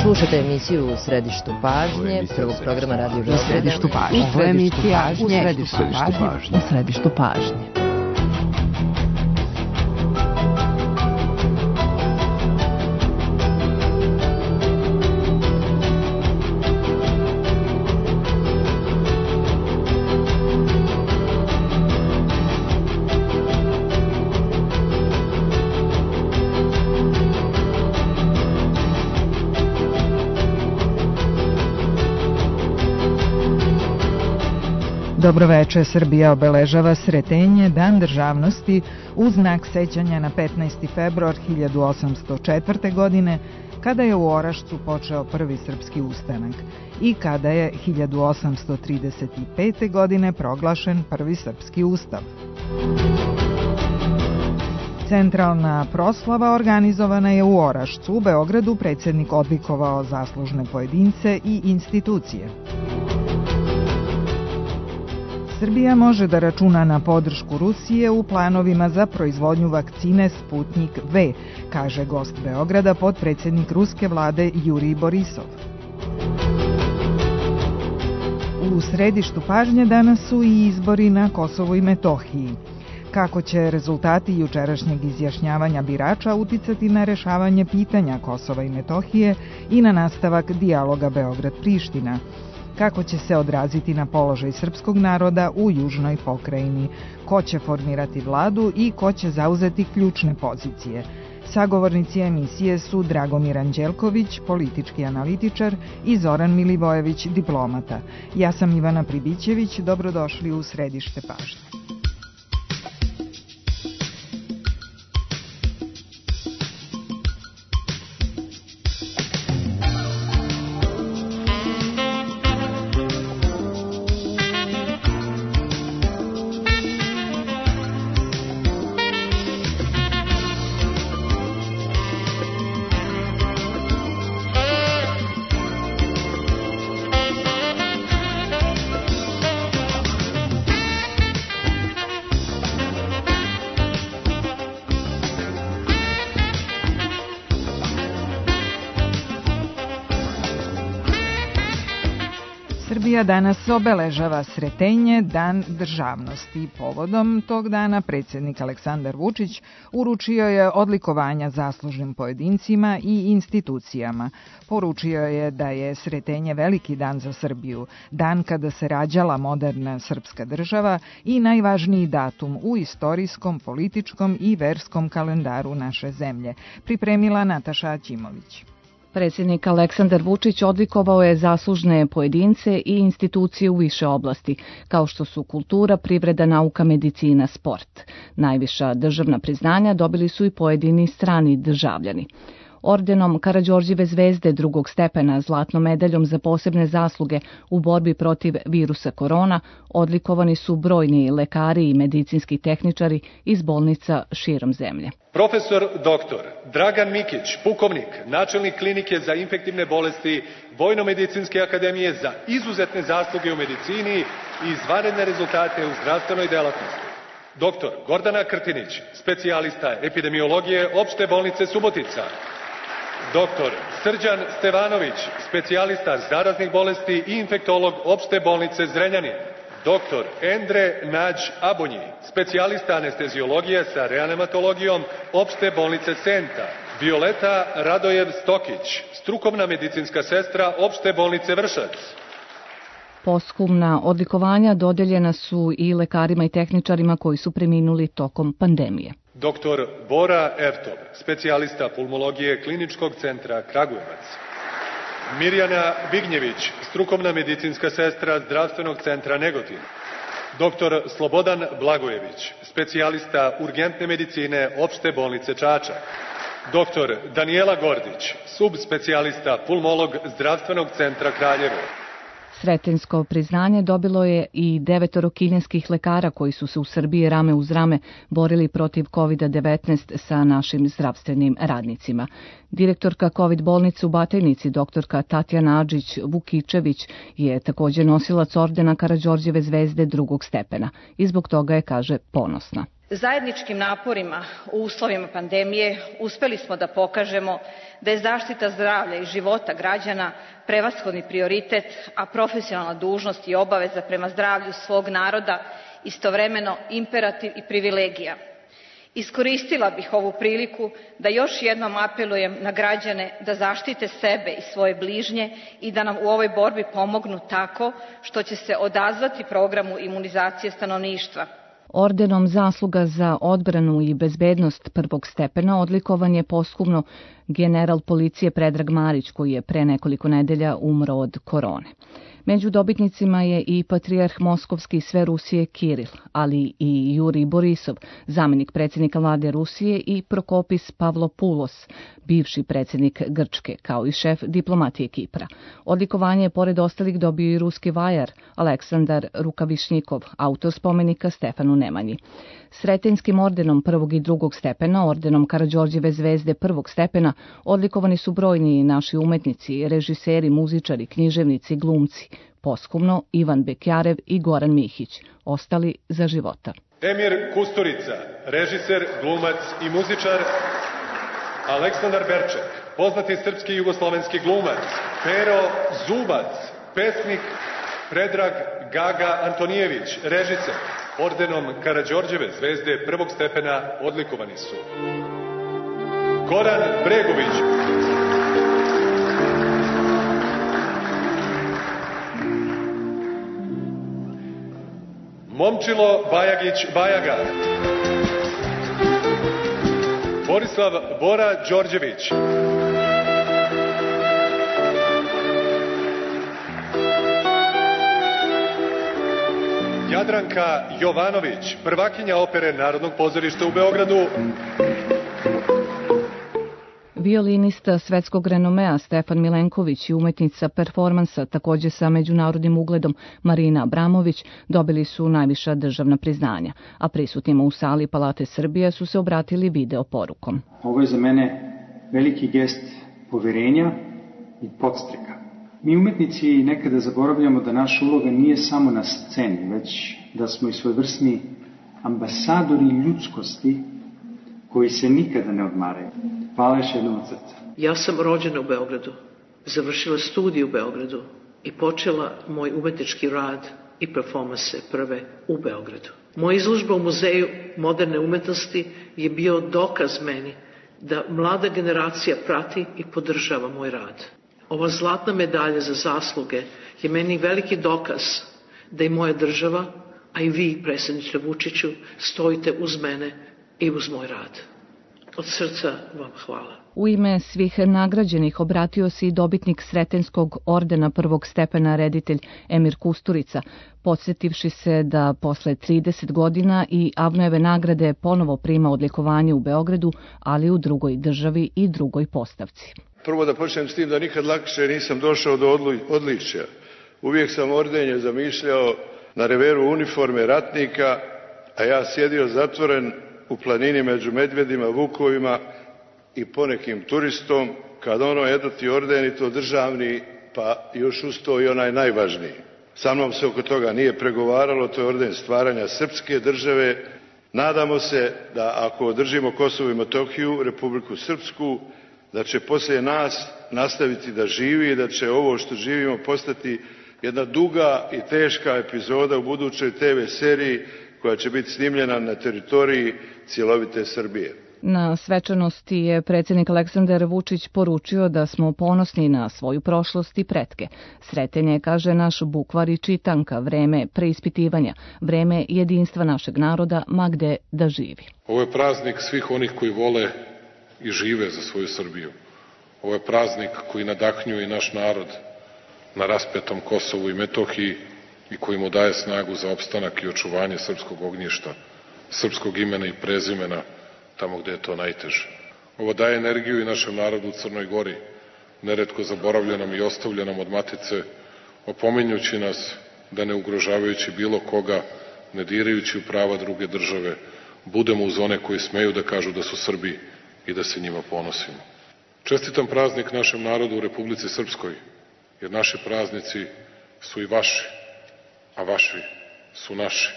Slušate emisiju U središtu pažnje, prvog programa Radio Beograda. U središtu pažnje. Ovo je emisija U središtu pažnje. U središtu pažnje. Dobroveče, Srbija obeležava Sretenje, Dan državnosti, u znak sećanja na 15. februar 1804. godine, kada je u Orašcu počeo prvi srpski ustanak i kada je 1835. godine proglašen prvi srpski ustav. Centralna proslava organizovana je u Orašcu. U Beogradu predsjednik odlikovao zaslužne pojedince i institucije. Srbija može da računa na podršku Rusije u planovima za proizvodnju vakcine Sputnjik V, kaže gost Beograda, potpredsjednik ruske vlade Jurij Borisov. U središtu pažnje danas su i izbori na Kosovu i Metohiji. Kako će rezultati jučerašnjeg izjašnjavanja birača uticati na rešavanje pitanja Kosova i Metohije i na nastavak dijaloga Beograd-Priština? Kako će se odraziti na položaj srpskog naroda u južnoj pokrajini? Ko će formirati vladu i ko će zauzeti ključne pozicije? Sagovornici emisije su Dragomir Anđelković, politički analitičar, i Zoran Milivojević, diplomata. Ja sam Ivana Pribićević, dobrodošli u središte pažnje. Srbija danas obeležava Sretenje, Dan državnosti. Povodom tog dana predsjednik Aleksandar Vučić uručio je odlikovanja zaslužnim pojedincima i institucijama. Poručio je da je Sretenje veliki dan za Srbiju, dan kada se rađala moderna srpska država i najvažniji datum u istorijskom, političkom i verskom kalendaru naše zemlje. Pripremila Nataša Aćimović. Predsjednik Aleksandar Vučić odlikovao je zaslužne pojedince i institucije u više oblasti, kao što su kultura, privreda, nauka, medicina, sport. Najviša državna priznanja dobili su i pojedini strani državljani. Ordenom Karađorđeve zvezde drugog stepena, zlatnom medaljom za posebne zasluge u borbi protiv virusa korona, odlikovani su brojni lekari i medicinski tehničari iz bolnica širom zemlje. Profesor dr. Dragan Mikić, pukovnik, načelnik klinike za infektivne bolesti Vojno-medicinske akademije, za izuzetne zasluge u medicini i izvanredne rezultate u zdravstvenoj delatnosti. Dr. Gordana Krtinić, specijalista epidemiologije Opšte bolnice Subotica. Dr. Srđan Stevanović, specijalista zaraznih bolesti i infektolog Opšte bolnice Zrenjanin. Dr. Endre Nađ Abonji, specijalista anesteziologije sa reanimatologijom Opšte bolnice Senta. Violeta Radojev Stokić, strukovna medicinska sestra Opšte bolnice Vršac. Posthumna odlikovanja dodeljena su i lekarima i tehničarima koji su preminuli tokom pandemije. Dr. Bora Ertov, specijalista pulmologije Kliničkog centra Kragujevac. Mirjana Vignjević, strukovna medicinska sestra Zdravstvenog centra Negotin. Dr. Slobodan Blagojević, specijalista urgentne medicine Opšte bolnice Čačak. Dr. Danijela Gordić, subspecijalista pulmolog Zdravstvenog centra Kraljevo. Sretensko priznanje dobilo je i 9 kineskih lekara koji su se u Srbiji rame uz rame borili protiv COVID-19 sa našim zdravstvenim radnicima. Direktorka COVID bolnice u Batajnici, doktorka Tatjana Adžić-Vukičević, je također nosilac ordena Karađorđeve zvezde drugog stepena i zbog toga je, kaže, ponosna. Zajedničkim naporima u uslovima pandemije uspeli smo da pokažemo da je zaštita zdravlja i života građana prevashodni prioritet, a profesionalna dužnost i obaveza prema zdravlju svog naroda istovremeno imperativ i privilegija. Iskoristila bih ovu priliku da još jednom apelujem na građane da zaštite sebe i svoje bližnje i da nam u ovoj borbi pomognu tako što će se odazvati programu imunizacije stanovništva. Ordenom Zasluga za odbranu i bezbednost prvog stepena odlikovan je posthumno general policije Predrag Marić, koji je pre nekoliko nedelja umro od korone. Među dobitnicima je i patrijarh Moskovski sve Rusije Kiril, ali i Jurij Borisov, zamenik predsjednika vlade Rusije, i Prokopis Pavlopoulos, bivši predsjednik Grčke, kao i šef diplomatije Kipra. Odlikovanje je pored ostalih dobio i ruski vajar Aleksandar Rukavišnjikov, autor spomenika Stefanu Nemanji. Sretenjskim ordenom prvog i drugog stepena, ordenom Karađorđeve zvezde prvog stepena, odlikovani su brojni naši umetnici, režiseri, muzičari, književnici, glumci. Posthumno Ivan Bekjarev i Goran Mihić, ostali za života. Emir Kusturica, režiser, glumac i muzičar. Aleksandar Berček, poznati srpski i jugoslovenski glumac. Pero Zubac, pesnik. Predrag Gaga Antonijević, režiser. Ordenom Karađorđeve zvezde prvog stepena odlikovani su Goran Bregović, Momčilo Bajagić Bajaga, Borislav Bora Đorđević, Jadranka Jovanović, prvakinja opere Narodnog pozorišta u Beogradu. Violinista svetskog renomea Stefan Milenković i umetnica performansa, također sa međunarodnim ugledom Marina Abramović, dobili su najviša državna priznanja, a prisutnima u sali Palate Srbije su se obratili video porukom. Ovo je za mene veliki gest poverenja i podstreka. Mi umetnici nekada zaboravljamo da naša uloga nije samo na sceni, već da smo i svojevrsni ambasadori ljudskosti koji se nikada ne odmaraju. Hvala još jednom od srca. Ja sam rođena u Beogradu, završila studij u Beogradu i počela moj umetnički rad i performanse prve u Beogradu. Moja izložba u Muzeju moderne umetnosti je bio dokaz meni da mlada generacija prati i podržava moj rad. Ova zlatna medalja za zasluge je meni veliki dokaz da i moja država, a i vi, predsjedniče Vučiću, stojite uz mene i uz moj rad. Od srca vam hvala. U ime svih nagrađenih obratio se i dobitnik Sretenjskog ordena prvog stepena reditelj Emir Kusturica, podsjetivši se da posle 30 godina i Avnojeve nagrade ponovo prima odlikovanje u Beogradu, ali u drugoj državi i drugoj postavci. Prvo da počnem s tim da nikad lakše nisam došao do odličja. Uvijek sam ordenje zamišljao na reveru uniforme ratnika, a ja sjedio zatvoren u planini među medvedima, vukovima i ponekim turistom, kad eto ti orden i to državni, pa još uz to i onaj najvažniji. Sa mnom se oko toga nije pregovaralo, to je orden stvaranja srpske države. Nadamo se da ako održimo Kosovo i Metohiju, Republiku Srpsku, da će poslije nas nastaviti da živi i da će ovo što živimo postati jedna duga i teška epizoda u budućoj TV seriji koja će biti snimljena na teritoriji cjelovite Srbije. Na svečanosti je predsjednik Aleksandar Vučić poručio da smo ponosni na svoju prošlost i pretke. Sreten je, kaže, naš bukvar i čitanka, vreme preispitivanja, vreme jedinstva našeg naroda, ma gde da živi. Ovo je praznik svih onih koji vole i žive za svoju Srbiju. Ovo je praznik koji nadahnjuje i naš narod na raspetom Kosovu i Metohiji i koji mu daje snagu za opstanak i očuvanje srpskog ognjišta, srpskog imena i prezimena tamo gde je to najteže. Ovo daje energiju i našem narodu u Crnoj Gori, neretko zaboravljenom i ostavljenom od matice, opominjući nas da ne ugrožavajući bilo koga, ne dirajući u prava druge države, budemo uz one koji smeju da kažu da su Srbi i da se njima ponosimo. Čestitam praznik našem narodu u Republici Srpskoj, jer naši praznici su i vaši, a vaši su naši.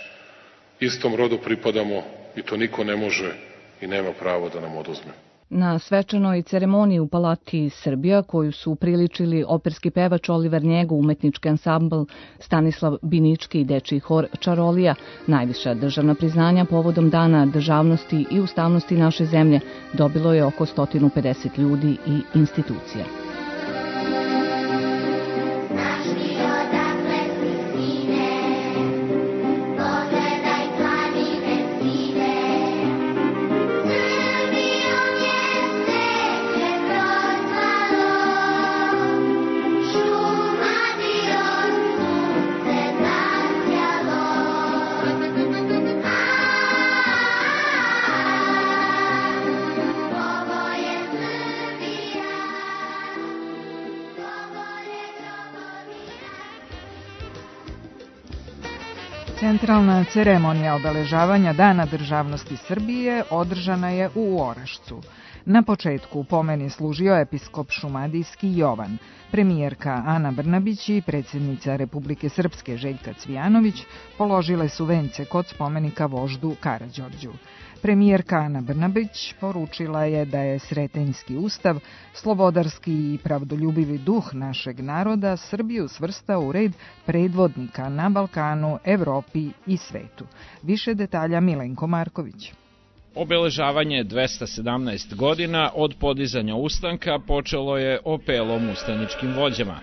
Istom rodu pripadamo i to niko ne može i nema pravo da nam oduzme. Na svečanoj ceremoniji u Palati Srbija, koju su upriličili operski pevač Oliver Njego, umetnički ansambl Stanislav Binički i dečiji hor Čarolija, najviša državna priznanja povodom Dana državnosti i ustavnosti naše zemlje dobilo je oko 150 ljudi i institucija. Centralna ceremonija obeležavanja Dana državnosti Srbije održana je u Orašcu. Na početku pomeni služio episkop šumadijski Jovan. Premijerka Ana Brnabić i predsjednica Republike Srpske Željka Cvijanović položile su vence kod spomenika voždu Karađorđu. Premijerka Ana Brnabić poručila je da je Sretenjski ustav, slobodarski i pravdoljubivi duh našeg naroda Srbiju svrstao u red predvodnika na Balkanu, Evropi i svetu. Više detalja Milenko Marković. Obeležavanje 217 godina od podizanja ustanka počelo je apelom ustaničkim vođama.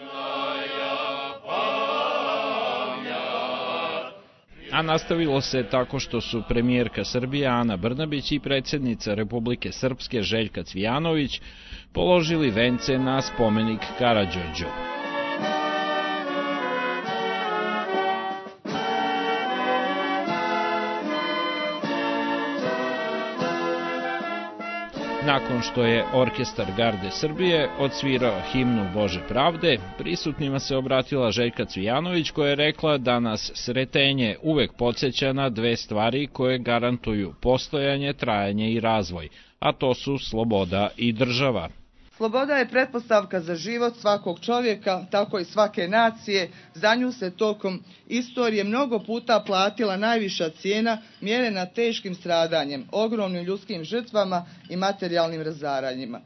A nastavilo se tako što su premijerka Srbije Ana Brnabić i predsjednica Republike Srpske Željka Cvijanović položili vence na spomenik Karađorđu. Nakon što je orkestar Garde Srbije odsvirao himnu Bože pravde, prisutnima se obratila Željka Cvijanović koja je rekla da nas Sretenje uvek podsjeća na dve stvari koje garantuju postojanje, trajanje i razvoj, a to su sloboda i država. Sloboda je pretpostavka za život svakog čovjeka, tako i svake nacije. Za nju se tokom istorije mnogo puta platila najviša cijena, mjerena teškim stradanjem, ogromnim ljudskim žrtvama i materijalnim razaranjima.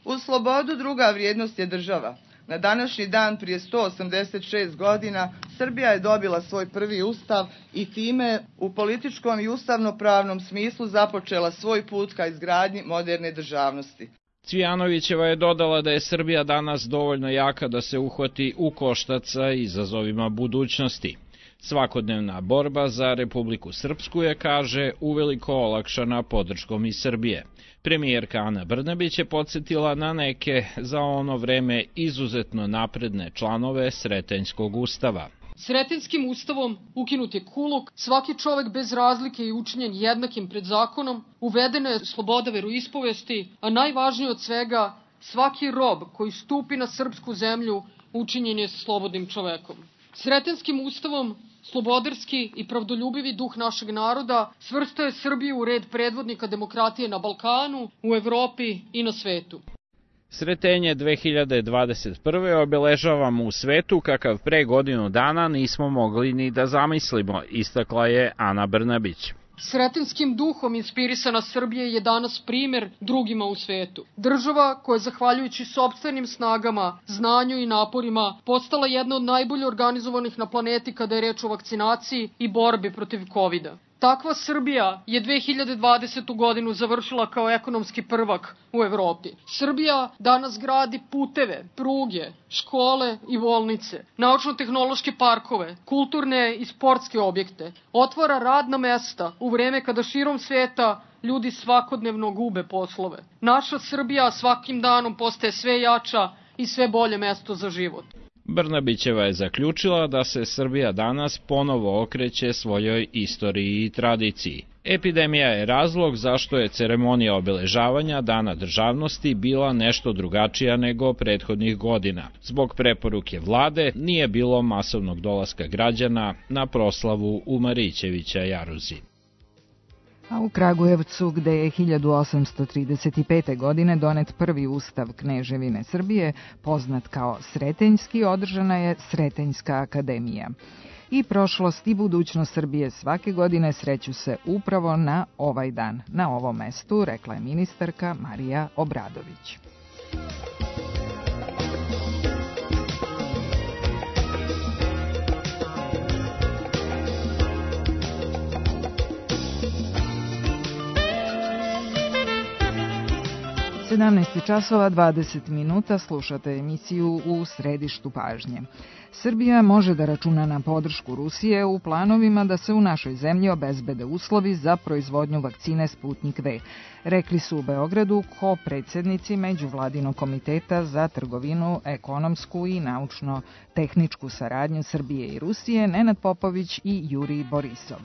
Uz slobodu druga vrijednost je država. Na današnji dan prije 186 godina Srbija je dobila svoj prvi ustav i time u političkom i ustavnopravnom smislu započela svoj put ka izgradnji moderne državnosti. Cvijanovićeva je dodala da je Srbija danas dovoljno jaka da se uhvati u koštac sa izazovima budućnosti. Svakodnevna borba za Republiku Srpsku je, kaže, uveliko olakšana podrškom iz Srbije. Premijerka Ana Brnabić je podsjetila na neke za ono vreme izuzetno napredne članove Sretenjskog ustava. Sretenjskim ustavom ukinut je kulok, svaki čovek bez razlike je učinjen jednakim pred zakonom, uvedena je sloboda veroispovesti, a najvažnije od svega, svaki rob koji stupi na srpsku zemlju učinjen je slobodnim čovekom. Sretenjskim ustavom slobodarski i pravdoljubivi duh našeg naroda svrstao je Srbiju u red predvodnika demokratije na Balkanu, u Evropi i na svetu. Sretenje 2021. obeležavamo u svetu kakav pre godinu dana nismo mogli ni da zamislimo, istakla je Ana Brnabić. Sretenjskim duhom inspirisana Srbija je danas primer drugima u svetu. Država koja je zahvaljujući sopstvenim snagama, znanju i naporima postala jedna od najbolje organizovanih na planeti kada je reč o vakcinaciji i borbi protiv COVID-a. Takva Srbija je 2020. godinu završila kao ekonomski prvak u Evropi. Srbija danas gradi puteve, pruge, škole i bolnice, naučno-tehnološke parkove, kulturne i sportske objekte, otvara radna mesta u vreme kada širom sveta ljudi svakodnevno gube poslove. Naša Srbija svakim danom postaje sve jača i sve bolje mesto za život. Brnabićeva je zaključila da se Srbija danas ponovo okreće svojoj istoriji i tradiciji. Epidemija je razlog zašto je ceremonija obeležavanja Dana državnosti bila nešto drugačija nego prethodnih godina. Zbog preporuke vlade nije bilo masovnog dolaska građana na proslavu u Marićevića jaruzi. A u Kragujevcu, gde je 1835. godine donet prvi ustav Kneževine Srbije, poznat kao Sretenjski, održana je Sretenjska akademija. i prošlost i budućnost Srbije svake godine sreću se upravo na ovaj dan, na ovom mestu, rekla je ministarka Marija Obradović. U 17:20 slušate emisiju U središtu pažnje. Srbija može da računa na podršku Rusije u planovima da se u našoj zemlji obezbede uslovi za proizvodnju vakcine Sputnik V. Rekli su u Beogradu ko-predsjednici Međuvladinog komiteta za trgovinu, ekonomsku i naučno-tehničku saradnju Srbije i Rusije Nenad Popović i Jurij Borisov.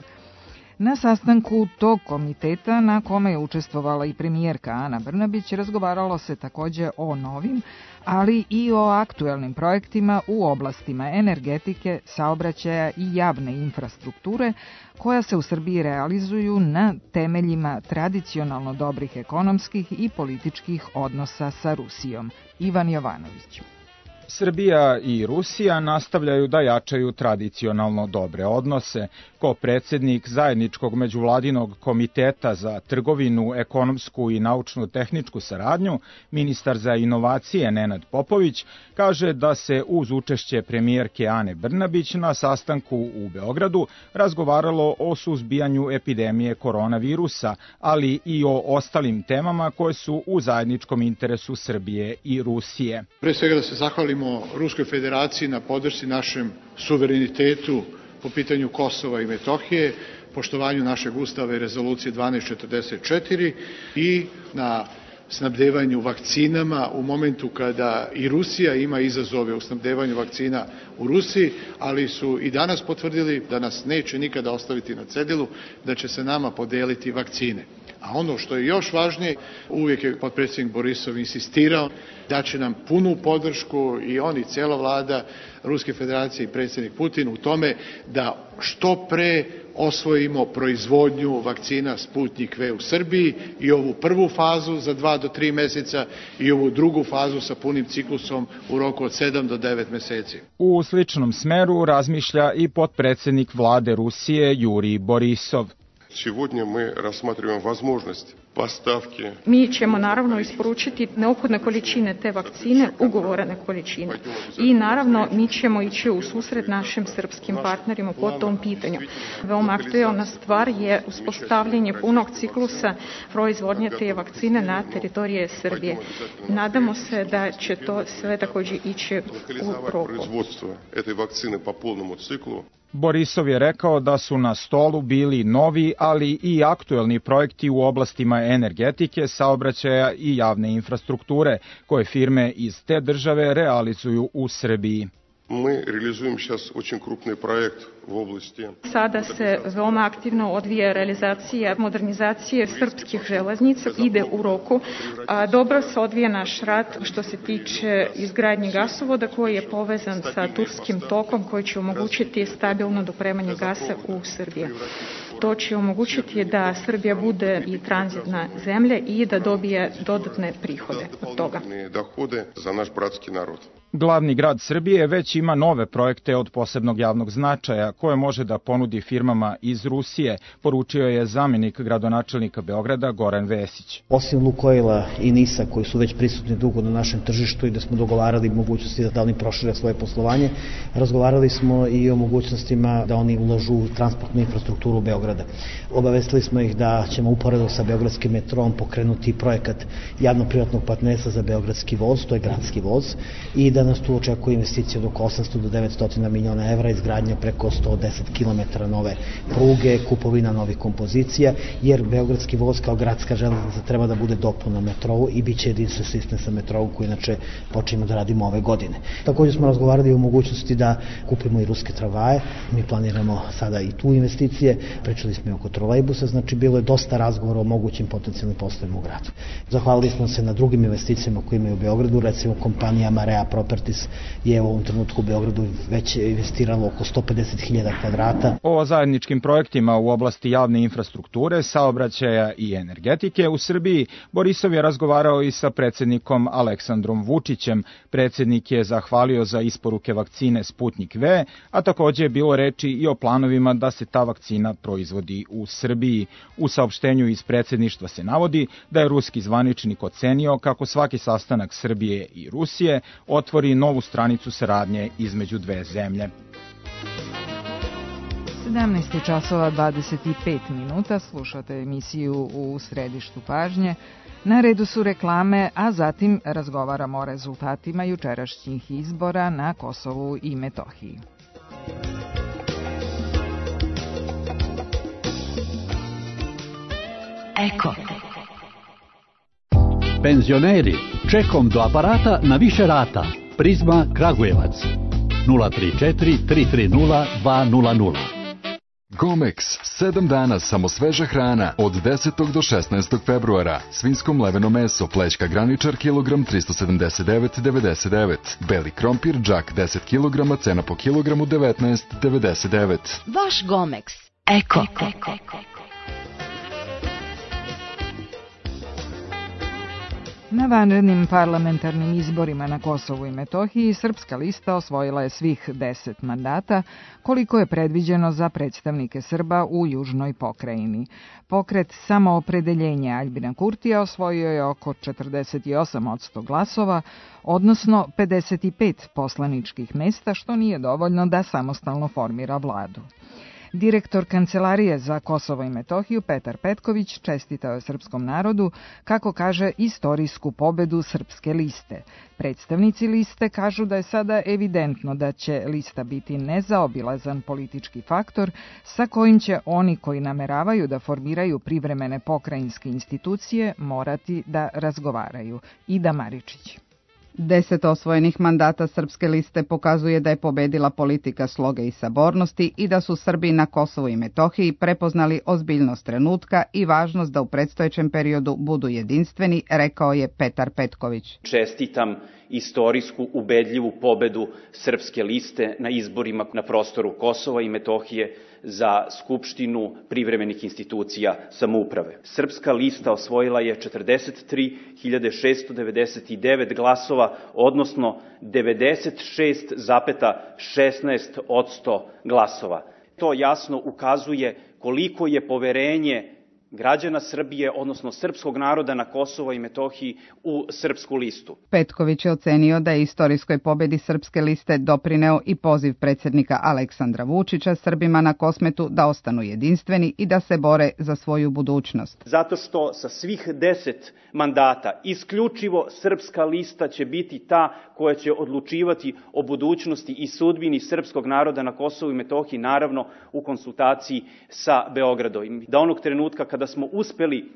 Na sastanku tog komiteta, na kome je učestvovala i premijerka Ana Brnabić, razgovaralo se takođe o novim, ali i o aktuelnim projektima u oblastima energetike, saobraćaja i javne infrastrukture, koja se u Srbiji realizuju na temeljima tradicionalno dobrih ekonomskih i političkih odnosa sa Rusijom. Ivan Jovanović. Srbija i Rusija nastavljaju da jačaju tradicionalno dobre odnose. Ko predsjednik zajedničkog međuvladinog komiteta za trgovinu, ekonomsku i naučno-tehničku saradnju, ministar za inovacije Nenad Popović kaže da se uz učešće premijerke Ane Brnabić na sastanku u Beogradu razgovaralo o suzbijanju epidemije koronavirusa, ali i o ostalim temama koje su u zajedničkom interesu Srbije i Rusije. Pre svega da se zahvalimo Ruskoj federaciji na podršci našem suverenitetu po pitanju Kosova i Metohije, poštovanju našeg ustava i rezolucije 1244 i na snabdevanju vakcinama u momentu kada i Rusija ima izazove u snabdevanju vakcina u Rusiji, ali su i danas potvrdili da nas neće nikada ostaviti na cedilu, da će se nama podeliti vakcine. A ono što je još važnije, uvijek je potpredsjednik Borisov insistirao da će nam punu podršku i on i cijela vlada Ruske federacije i predsjednik Putin u tome da što pre osvojimo proizvodnju vakcina Sputnik V u Srbiji i ovu prvu fazu za 2 do 3 meseca i ovu drugu fazu sa punim ciklusom u roku od 7 do 9 meseci. U sličnom smeru razmišlja i potpredsjednik vlade Rusije Jurij Borisov. Сегодня мы рассматриваем возможность поставки. Mi ćemo naravno isporučiti neophodne količine te vakcine, ugovorene količine. I naravno mi ćemo ići u susret našim srpskim partnerima po tom pitanju. Veoma aktuelna stvar je uspostavljanje punog ciklusa proizvodnje te vakcine na teritorije Srbije. Nadamo se da će to sve također ići u roku. Производство этой вакцины по полному циклу. Borisov je rekao da su na stolu bili novi, ali i aktuelni projekti u oblastima energetike, saobraćaja i javne infrastrukture, koje firme iz te države realizuju u Srbiji. Мы реализуем сейчас очень крупный проект в области. Sada se veoma aktivno odvija realizacija modernizacije srpskih železnica, ide u roku. Dobro se odvija naš rad što se tiče izgradnje gasovoda koji je povezan sa Turskim tokom koji će omogućiti stabilno dopremanje gasa u Srbiju. To će omogućiti da Srbija bude i tranzitna zemlja i da dobije dodatne prihode od toga. Za naš bratski narod. Glavni grad Srbije već ima nove projekte od posebnog javnog značaja koje može da ponudi firmama iz Rusije, poručio je zamjenik gradonačelnika Beograda Goran Vesić. Osim Lukoila i NIS-a koji su već prisutni dugo na našem tržištu i da smo dogovarali mogućnosti da oni prošire svoje poslovanje, razgovarali smo i o mogućnostima da oni ulažu u transportnu infrastrukturu Beograda. Obavestili smo ih da ćemo uporedo sa Beogradskim metrom pokrenuti projekat javno-privatnog partnerstva za Beogradski voz, to je gradski voz, i da nas tu očekuje investicija od oko 800 do 900 miliona evra, izgradnja preko 110 km nove pruge, kupovina novih kompozicija, jer Beogradski voz kao gradska železnica treba da bude dopuna metrovu i bit će jedinstven sistem sa metrovom koji inače počinjemo da radimo ove godine. Također smo razgovarali o mogućnosti da kupimo i ruske tramvaje, mi planiramo sada i tu investicije, pri Počeli smo i oko trolejbusa, znači bilo je dosta razgovora o mogućim potencijalnim poslovima u gradu. Zahvalili smo se na drugim investicijama koje imaju u Beogradu, recimo kompanija Marea Properties je u ovom trenutku u Beogradu već investiralo oko 150.000 kvadrata. O zajedničkim projektima u oblasti javne infrastrukture, saobraćaja i energetike u Srbiji Borisov je razgovarao i sa predsjednikom Aleksandrom Vučićem. Predsjednik je zahvalio za isporuke vakcine Sputnik V, a također je bilo reči i o planovima da se ta vakcina proizvodi u Srbiji. U saopštenju iz predsjedništva se navodi da je ruski zvaničnik ocenio kako svaki sastanak Srbije i Rusije otvori novu stranicu saradnje između dve zemlje. 17 časova 25 minuta, slušate emisiju U središtu pažnje. Na redu su reklame, a zatim razgovaramo o rezultatima jučerašnjih izbora na Kosovu i Metohiji. Eko. Penzioneri, čekom do aparata na više rata. Prizma Kragujevac 034 330 200. Gomex, 7 dana samo sveža hrana od 10. do 16. februara. Svinjsko mleveno meso, plećka graničar, kilogram 379,99. Beli krompir, džak 10 kg, cena po kilogramu 19,99. Vaš Gomex. Eko. Na vanrednim parlamentarnim izborima na Kosovu i Metohiji Srpska lista osvojila je svih 10 mandata, koliko je predviđeno za predstavnike Srba u južnoj pokrajini. Pokret Samoopredeljenja Aljbina Kurtija osvojio je oko 48% glasova, odnosno 55 poslaničkih mesta, što nije dovoljno da samostalno formira vladu. Direktor Kancelarije za Kosovo i Metohiju Petar Petković čestitao je srpskom narodu, kako kaže, istorijsku pobedu Srpske liste. Predstavnici liste kažu da je sada evidentno da će lista biti nezaobilazan politički faktor sa kojim će oni koji nameravaju da formiraju privremene pokrajinske institucije morati da razgovaraju. Ida Maričić. 10 osvojenih mandata Srpske liste pokazuje da je pobedila politika sloge i sabornosti i da su Srbi na Kosovu i Metohiji prepoznali ozbiljnost trenutka i važnost da u predstojećem periodu budu jedinstveni, rekao je Petar Petković. Čestitam istorijsku ubedljivu pobedu Srpske liste na izborima na prostoru Kosova i Metohije za Skupštinu privremenih institucija samouprave. Srpska lista osvojila je 43.699 glasova, odnosno 96,16% glasova. To jasno ukazuje koliko je poverenje građana Srbije, odnosno srpskog naroda na Kosovo i Metohiji u Srpsku listu. Petković je ocenio da je istorijskoj pobedi Srpske liste doprineo i poziv predsjednika Aleksandra Vučića Srbima na Kosmetu da ostanu jedinstveni i da se bore za svoju budućnost. Zato što sa svih 10 mandata isključivo Srpska lista će biti ta koja će odlučivati o budućnosti i sudbini srpskog naroda na Kosovu i Metohiji, naravno u konsultaciji sa Beogradom. Da onog trenutka kada smo uspeli,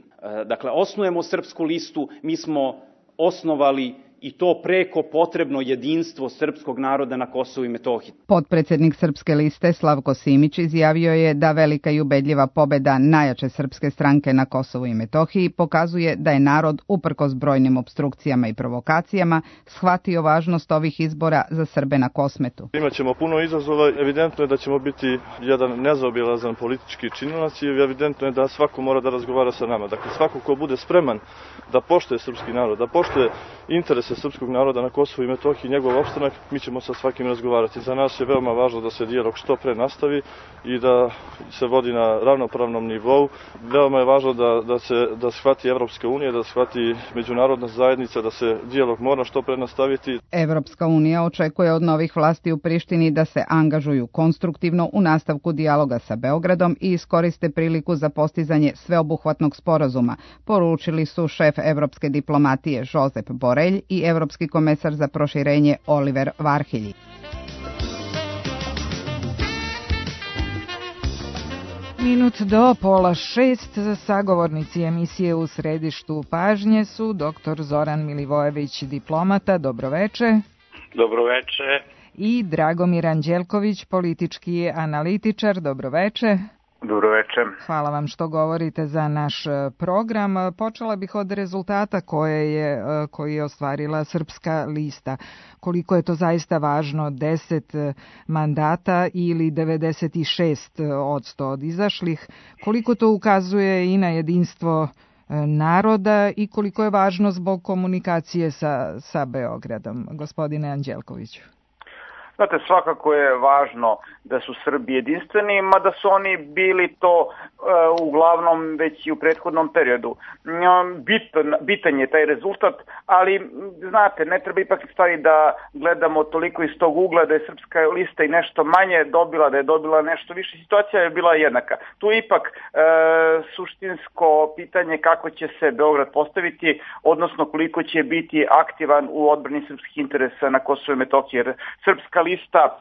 osnujemo Srpsku listu, mi smo osnovali i to preko potrebno jedinstvo srpskog naroda na Kosovu i Metohiji. Potpredsjednik Srpske liste Slavko Simić izjavio je da velika i ubedljiva pobeda najjače srpske stranke na Kosovu i Metohiji pokazuje da je narod, uprkos brojnim opstrukcijama i provokacijama, shvatio važnost ovih izbora za Srbe na Kosmetu. Imaćemo puno izazova, evidentno je da ćemo biti jedan nezaobilazan politički činilac i evidentno je da svako mora da razgovara sa nama. Dakle, svako ko bude spreman da poštuje srpski narod, da poštuje interese srpskog naroda na Kosovu i Metohiji, njegov opstanak, mi ćemo sa svakim razgovarati. Za nas je veoma važno da se dijalog što pre nastavi i da se vodi na ravnopravnom nivou. Veoma je važno da shvati Evropska unija, da shvati međunarodna zajednica, da se dijalog mora što pre nastaviti. Evropska unija očekuje od novih vlasti u Prištini da se angažuju konstruktivno u nastavku dijaloga sa Beogradom i iskoriste priliku za postizanje sveobuhvatnog sporazuma, poručili su šef evropske diplomatije Josep Borelj i evropski komesar za proširenje Oliver Varhelji. Minut do 5:30 sagovornici emisije U središtu pažnje su dr. Zoran Milivojević, diplomata, dobroveče. Dobroveče. I Dragomir Anđelković, politički analitičar, dobroveče. Dobro večer. Hvala vam što govorite za naš program. Počela bih od rezultata koji je ostvarila Srpska lista. Koliko je to zaista važno, 10 mandata ili 96% od izašlih, koliko to ukazuje i na jedinstvo naroda i koliko je važno zbog komunikacije sa Beogradom. Gospodine Anđelkoviću. Znate, svakako je važno da su Srbi jedinstveni, mada su oni bili to uglavnom već i u prethodnom periodu. Bitan je taj rezultat, ali znate, ne treba ipak stvari da gledamo toliko iz tog ugla da je Srpska lista i nešto manje dobila, da je dobila nešto više. Situacija je bila jednaka. Tu je ipak suštinsko pitanje kako će se Beograd postaviti, odnosno koliko će biti aktivan u odbrani srpskih interesa na Kosovu i Metohiji. Jer Srpska lista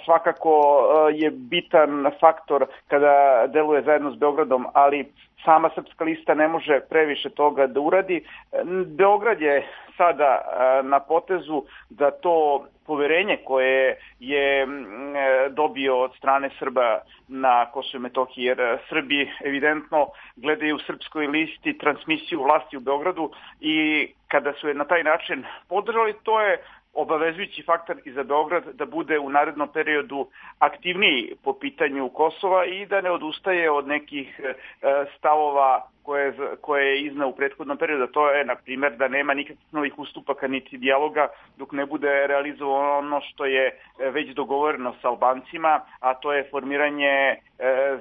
svakako je bitan faktor kada deluje zajedno s Beogradom, ali sama Srpska lista ne može previše toga da uradi. Beograd je sada na potezu da to poverenje koje je dobio od strane Srba na Kosovu i Metohiji, jer Srbi evidentno gledaju u Srpskoj listi transmisiju vlasti u Beogradu i kada su je na taj način podržali, to je obavezujući faktor i za Beograd da bude u narednom periodu aktivniji po pitanju Kosova i da ne odustaje od nekih stavova koje je izneo u prethodnom periodu. To je, na primjer, da nema nikakvih novih ustupaka niti dijaloga dok ne bude realizovano ono što je već dogovoreno sa Albancima, a to je formiranje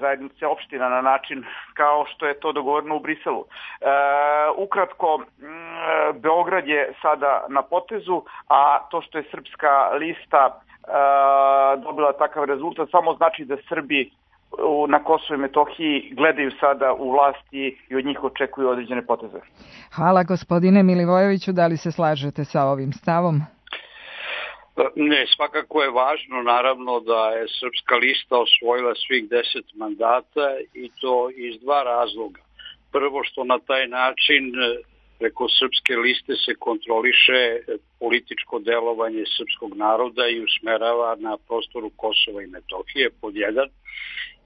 zajednice opština na način kao što je to dogovoreno u Briselu. Ukratko, Beograd je sada na potezu, a to što je Srpska lista dobila takav rezultat samo znači da Srbi na Kosovu i Metohiji gledaju sada u vlasti i od njih očekuju određene poteze. Hvala gospodine Milivojeviću, da li se slažete sa ovim stavom? Ne, svakako je važno naravno da je Srpska lista osvojila svih 10 mandata i to iz dva razloga. Prvo što na taj način preko Srpske liste se kontroliše političko delovanje srpskog naroda i usmerava na prostoru Kosova i Metohije, pod jedan.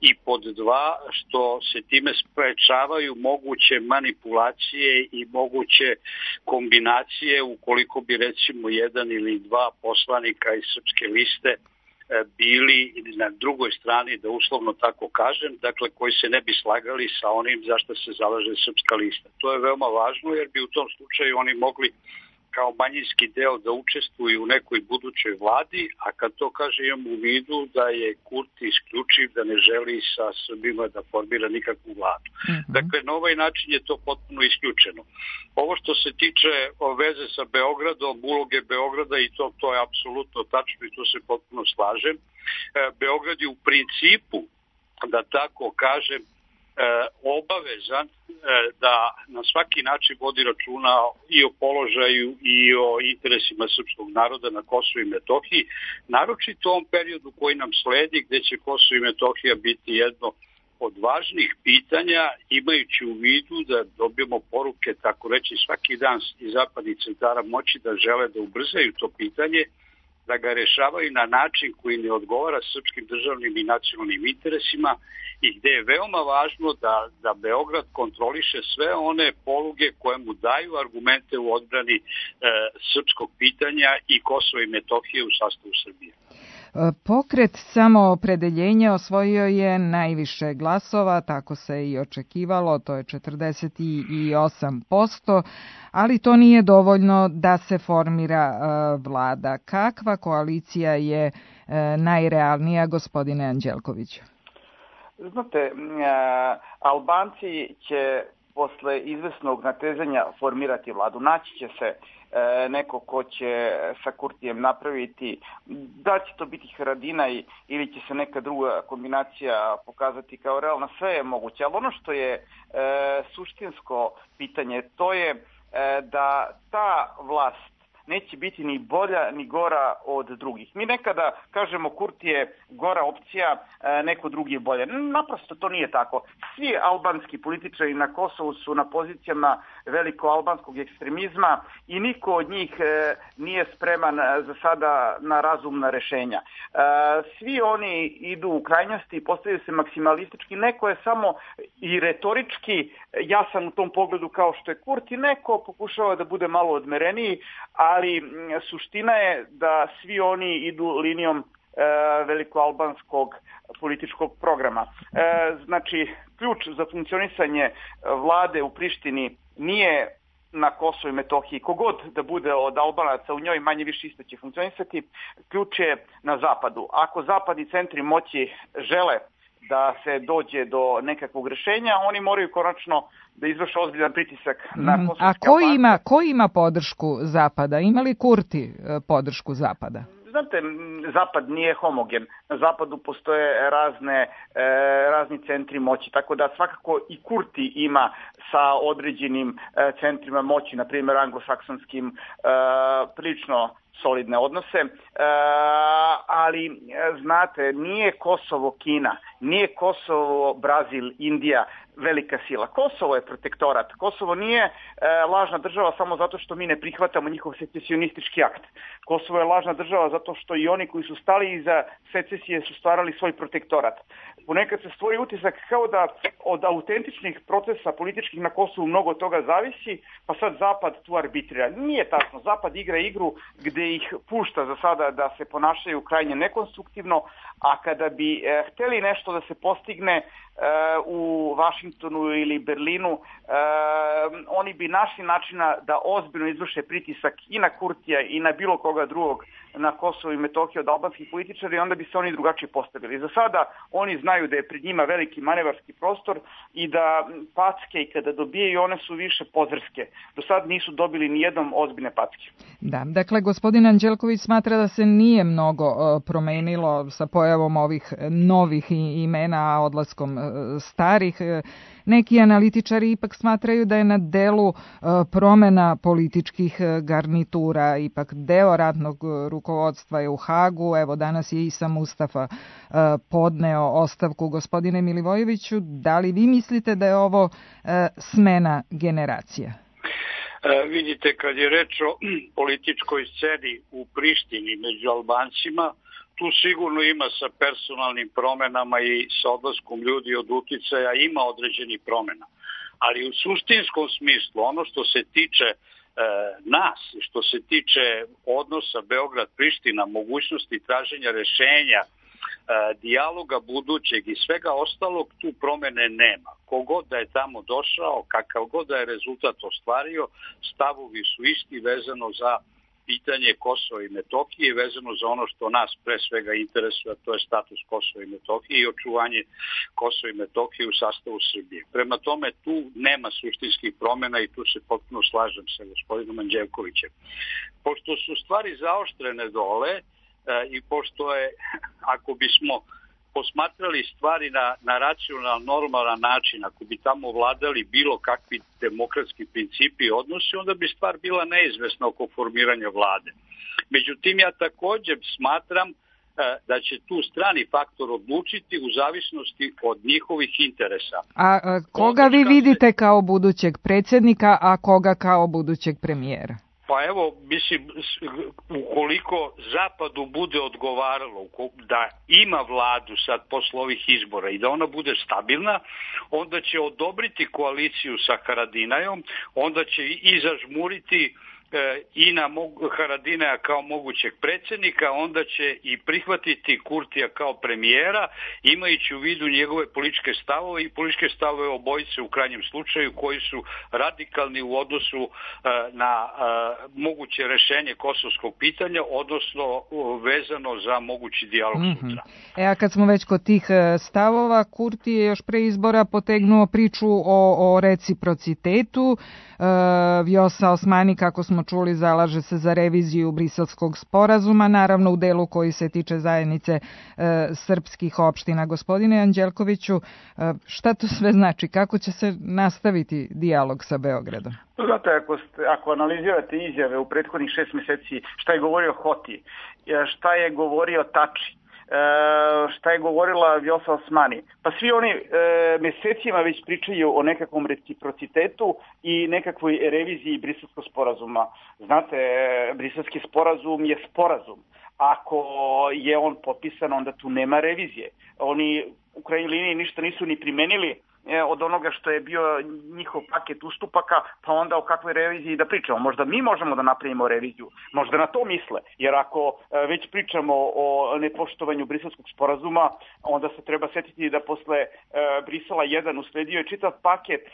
I pod dva, što se time sprečavaju moguće manipulacije i moguće kombinacije ukoliko bi recimo jedan ili dva poslanika iz Srpske liste bili na drugoj strani, da uslovno tako kažem, dakle koji se ne bi slagali sa onim za što se zalaže Srpska lista. To je veoma važno jer bi u tom slučaju oni mogli kao manjinski deo da učestvuju u nekoj budućoj vladi, a kad to kaže imam u vidu da je Kurti isključiv, da ne želi sa Srbima da formira nikakvu vladu. Dakle, na ovaj način je to potpuno isključeno. Ovo što se tiče veze sa Beogradom, uloge Beograda i to je apsolutno tačno i to se potpuno slažem. Beograd je u principu, da tako kažem, obavezan da na svaki način vodi računa i o položaju i o interesima srpskog naroda na Kosovu i Metohiji, naročito u ovom periodu koji nam sledi, gde će Kosovo i Metohija biti jedno od važnih pitanja, imajući u vidu da dobijemo poruke, tako reći, svaki dan iz zapadnih centara moći da žele da ubrzaju to pitanje, da ga rešavaju na način koji ne odgovara srpskim državnim i nacionalnim interesima i gde je veoma važno da Beograd kontroliše sve one poluge koje mu daju argumente u odbrani srpskog pitanja i Kosova i Metohije u sastavu Srbije. Pokret Samoopredeljenje osvojio je najviše glasova, tako se i očekivalo, to je 48%, ali to nije dovoljno da se formira vlada. Kakva koalicija je najrealnija, gospodine Anđelkoviću? Znate, Albanci će posle izvesnog natezanja formirati vladu. Naći će se neko ko će sa Kurtijem napraviti, da će to biti Haradinaj ili će se neka druga kombinacija pokazati kao realna, sve je moguće. Ali ono što je suštinsko pitanje, to je da ta vlast neće biti ni bolja ni gora od drugih. Mi nekada kažemo Kurti je gora opcija, neko drugi je bolje. Naprosto to nije tako. Svi albanski političari na Kosovu su na pozicijama veliko-albanskog ekstremizma i niko od njih nije spreman za sada na razumna rešenja. Svi oni idu u krajnosti i postavljaju se maksimalistički. Neko je samo i retorički jasan u tom pogledu kao što je Kurti, neko pokušava da bude malo odmereniji, ali suština je da svi oni idu linijom velikoalbanskog političkog programa. Znači, ključ za funkcionisanje vlade u Prištini nije na Kosovu i Metohiji. Kogod da bude od Albanaca u njoj, manje više isto će funkcionisati. Ključ je na zapadu. Ako zapadni centri moći žele da se dođe do nekakvog rešenja, oni moraju konačno da izvrše ozbiljan pritisak na kosovske Albance. A ko ima podršku Zapada? Ima li Kurti podršku Zapada? Znate, Zapad nije homogen. Na Zapadu postoje razni centri moći, tako da svakako i Kurti ima sa određenim centrima moći, na primjer anglosaksonskim, prilično solidne odnose, ali znate, nije Kosovo Kina, nije Kosovo Brazil, Indija velika sila. Kosovo je protektorat. Kosovo nije lažna država samo zato što mi ne prihvatamo njihov secesionistički akt. Kosovo je lažna država zato što i oni koji su stali iza secesije su stvarali svoj protektorat. Ponekad se stvori utisak kao da od autentičnih procesa političkih na Kosovu mnogo toga zavisi, pa sad Zapad tu arbitrira. Nije tačno. Zapad igra igru gde ih pušta za sada da se ponašaju krajnje nekonstruktivno, a kada bi hteli nešto da se postigne u Vašingtonu ili Berlinu, oni bi našli načina da ozbiljno izvrše pritisak i na Kurtija i na bilo koga drugog na Kosovu i Metohiji od albanskih političara i onda bi se oni drugačije postavili. Za sada oni znaju da je pred njima veliki manevarski prostor i da packe i kada dobijaju one su više pozrske. Do sad nisu dobili ni jednom ozbiljne packe. Da, dakle, gospodin Anđelković smatra da se nije mnogo promenilo sa pojavom ovih novih imena, odlaskom starih. Neki analitičari ipak smatraju da je na delu promena političkih garnitura, ipak deo ratnog rukovodstva je u Hagu, evo danas je Isa Mustafa podneo ostavku. Gospodine Milivojeviću, da li vi mislite da je ovo smena generacija? Vidite, kad je reč o političkoj sceni u Prištini među Albancima, tu sigurno ima sa personalnim promenama i sa odlaskom ljudi od uticaja ima određenih promena. Ali u suštinskom smislu, ono što se tiče nas, što se tiče odnosa Beograd-Priština, mogućnosti traženja rešenja, dijaloga budućeg i svega ostalog, tu promene nema. Kogod da je tamo došao, kakav god da je rezultat ostvario, stavovi su isti vezano za pitanje Kosova i Metohije, vezano za ono što nas pre svega interesuje, a to je status Kosova i Metohije i očuvanje Kosova i Metohije u sastavu Srbije. Prema tome, tu nema suštinskih promjena i tu se potpuno slažem sa gospodinom Anđelkovićem. Pošto su stvari zaoštrene dole i pošto je, ako bismo posmatrali stvari na racionalan, normalan način, ako bi tamo vladali bilo kakvi demokratski principi i odnosi, onda bi stvar bila neizvesna oko formiranja vlade. Međutim, ja također smatram da će tu strani faktor odlučiti u zavisnosti od njihovih interesa. A koga vi vidite kao budućeg predsjednika, a koga kao budućeg premijera? Pa evo, mislim, ukoliko Zapadu bude odgovaralo da ima vladu sad posle ovih izbora i da ona bude stabilna, onda će odobriti koaliciju sa Haradinajom, onda će i zažmuriti i na Haradinaja kao mogućeg predsjednika, onda će i prihvatiti Kurtija kao premijera, imajući u vidu njegove političke stavove i političke stavove obojice u krajnjem slučaju koji su radikalni u odnosu na moguće rešenje kosovskog pitanja, odnosno vezano za mogući dijalog sutra. A kad smo već kod tih stavova, Kurti je još pre izbora potegnuo priču o reciprocitetu. Vjosa Osmani, kako smo čuli, zalaže se za reviziju Briselskog sporazuma, naravno u delu koji se tiče zajednice srpskih opština. Gospodine Anđelkoviću, šta to sve znači? Kako će se nastaviti dijalog sa Beogradom? Znate, ako analizirate izjave u prethodnih 6 meseci, šta je govorio Hoti, šta je govorio Tači, šta je govorila Vjosa Osmani, pa svi oni mesecima već pričaju o nekakvom reciprocitetu i nekakvoj reviziji Briselskog sporazuma. Znate, Briselski sporazum je sporazum. Ako je on potpisan, onda tu nema revizije. Oni u krajnjoj liniji ništa nisu ni primenili od onoga što je bio njihov paket ustupaka, pa onda o kakvoj reviziji da pričamo. Možda mi možemo da napravimo reviziju, možda na to misle, jer ako već pričamo o nepoštovanju Briselskog sporazuma, onda se treba setiti da posle Brisela 1 usledio je čitav paket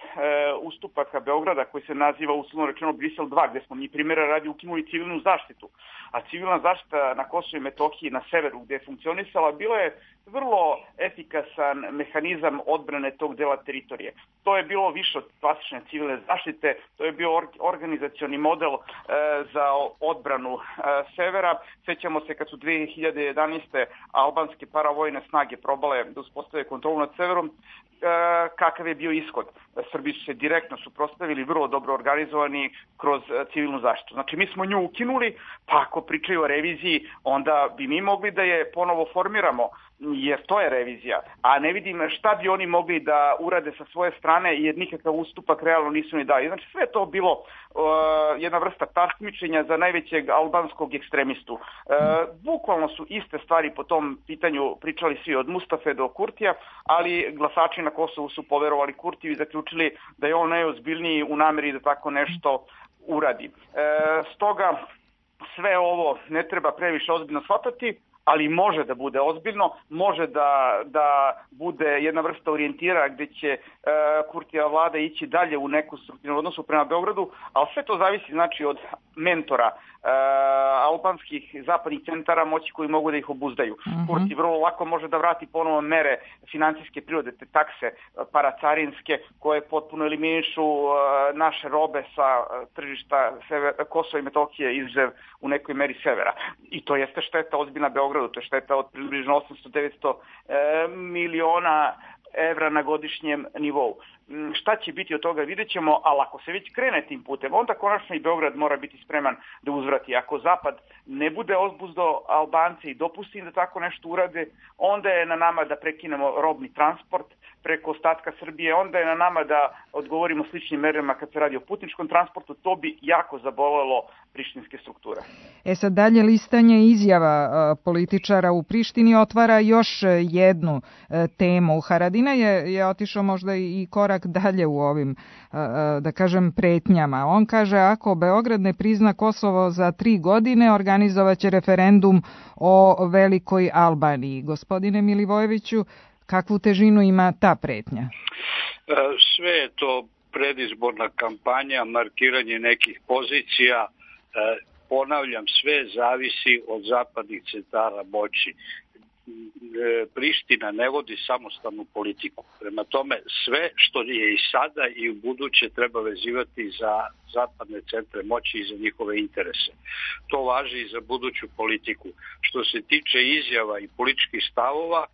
ustupaka Beograda koji se naziva uslovno rečeno Brisel 2, gde smo mi primjera radi ukinuli civilnu zaštitu. A civilna zaštita na Kosovu i Metohiji na severu gde je funkcionisala bilo je vrlo efikasan mehanizam odbrane tog dela teritorije. To je bilo više od klasične civilne zaštite, to je bio organizacioni model za odbranu severa. Sećamo se kad su 2011. albanske paravojne snage probale da uspostave kontrolu nad severom, kakav je bio ishod. Srbi su se direktno suprotstavili, vrlo dobro organizovani kroz civilnu zaštitu. Znači mi smo nju ukinuli, pa ako pričaju o reviziji, onda bi mi mogli da je ponovo formiramo, jer to je revizija. A ne vidim šta bi oni mogli da urade sa svoje strane, jer nikakav ustupak realno nisu ni dali. Znači sve to bilo jedna vrsta takmičenja za najvećeg albanskog ekstremistu. Bukvalno su iste stvari po tom pitanju pričali svi od Mustafe do Kurtija, ali glasači na Kosovu su poverovali Kurtiju i zaključili da je on najozbiljniji u nameri da tako nešto uradi. Stoga sve ovo ne treba previše ozbiljno shvatati, ali može da bude ozbiljno, može da bude jedna vrsta orijentira gde će Kurtijeva vlada ići dalje u neku strukturnu odnosu prema Beogradu, ali sve to zavisi znači od mentora albanskih zapadnih centara moći koji mogu da ih obuzdaju. Kurti vrlo lako može da vrati ponovo mere financijske prirode, te takse paracarinske koje potpuno eliminišu naše robe sa tržišta Kosova i Metohije izuzev u nekoj meri severa. I to jeste šteta ozbiljna Beogradu, to je šteta od približno 800-900 miliona evra na godišnjem nivou. Šta će biti od toga vidjet ćemo, ali ako se već krene tim putem, onda konačno i Beograd mora biti spreman da uzvrati. Ako Zapad ne bude ozbuzdo Albance i dopusti im da tako nešto urade, onda je na nama da prekinemo robni transport preko ostatka Srbije, onda je na nama da odgovorimo sličnim merama kad se radi o putničkom transportu, to bi jako zabolelo prištinske strukture. Sad dalje listanje izjava političara u Prištini otvara još jednu temu. Haradinaj je otišao možda i korak dalje u ovim, da kažem, pretnjama. On kaže, ako Beograd ne prizna Kosovo za 3 godine, organizovaće referendum o Velikoj Albaniji. Gospodine Milivojeviću, kakvu težinu ima ta pretnja? Sve je to predizborna kampanja, markiranje nekih pozicija. Ponavljam, sve zavisi od zapadnih centara moći. Priština ne vodi samostalnu politiku. Prema tome, sve što je i sada i u buduće treba vezivati za zapadne centre moći i za njihove interese. To važi i za buduću politiku. Što se tiče izjava i političkih stavova,